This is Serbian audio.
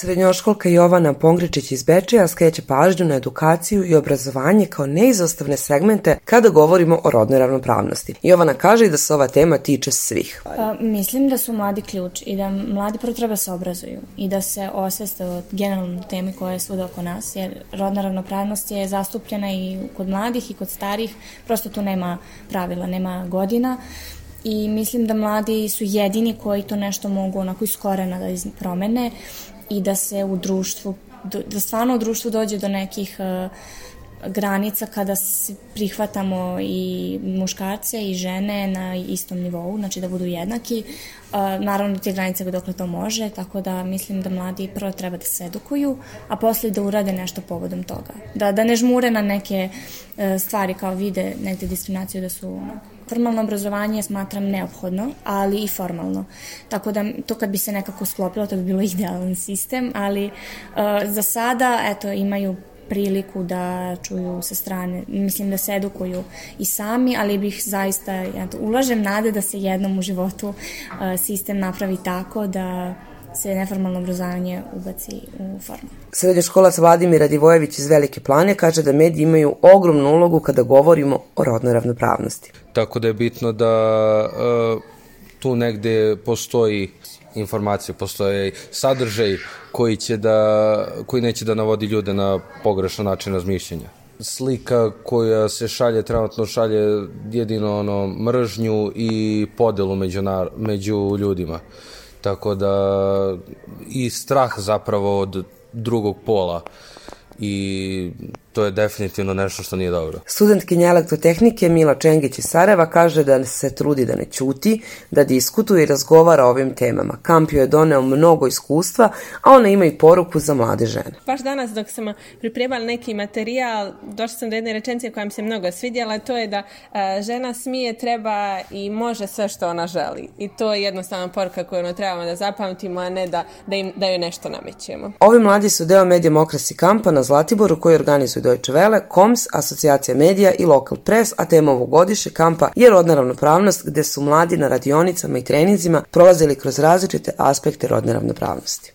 Srednjoškolka Jovana Pongričić iz Bečeja skreće pažnju na edukaciju i obrazovanje kao neizostavne segmente kada govorimo o rodnoj ravnopravnosti. Jovana kaže i da se ova tema tiče svih. Mislim da su mladi ključ i da mladi prvo treba se obrazuju i da se osveste o generalnoj temi koja je svuda oko nas, jer rodna ravnopravnost je zastupljena i kod mladih i kod starih, prosto tu nema pravila, nema godina. I mislim da mladi su jedini koji to nešto mogu onako iz korena da promene i da se u društvu, da stvarno u društvu dođe do nekih granica kada se prihvatamo i muškarce i žene na istom nivou, znači da budu jednaki. Naravno te granice dokle to može, tako da mislim da mladi prvo treba da se edukuju, a posle da urade nešto povodom toga. Da ne žmure na neke stvari kao vide negde diskriminaciju da su formalno obrazovanje smatram neophodno, ali i formalno. Tako da to kad bi se nekako sklopilo, to bi bilo idealan sistem, ali za sada, eto, imaju priliku da čuju sa strane, mislim da se edukuju i sami, ali bih zaista, ulažem nade da se jednom u životu sistem napravi tako da se neformalno obrazovanje ubaci u formalno. Srednjoškolac Vladimir Radivojević iz Velike Plane kaže da mediji imaju ogromnu ulogu kada govorimo o rodnoj ravnopravnosti. Tako da je bitno da tu negde postoji informacija, postoji sadržaj koji neće da navodi ljude na pogrešan način razmišljanja. Slika koja se trenutno šalje jedino mržnju i podelu među ljudima. Tako da i strah zapravo od drugog pola i to je definitivno nešto što nije dobro. Studentkinja elektrotehnike Mila Čengić iz Sarajeva kaže da se trudi da ne ćuti, da diskutuje i razgovara o ovim temama. Kamp joj je doneo mnogo iskustva, a ona ima i poruku za mlade žene. Baš danas dok sam pripremala neki materijal, došla sam do jedne rečenice koja mi se mnogo svidjela, to je da žena smije, treba i može sve što ona želi. I to je jednostavna poruka koju trebamo da zapamtimo, a ne da joj nešto namećemo. Ovi mladi su deo Mediamokrasi kampa na Zlatiboru koji organizuju Deutsche Welle, KOMS, Asocijacija medija i Lokal Press, a tema ovogodišnjeg kampa je rodna ravnopravnost, gde su mladi na radionicama i treninzima prolazili kroz različite aspekte rodne ravnopravnosti.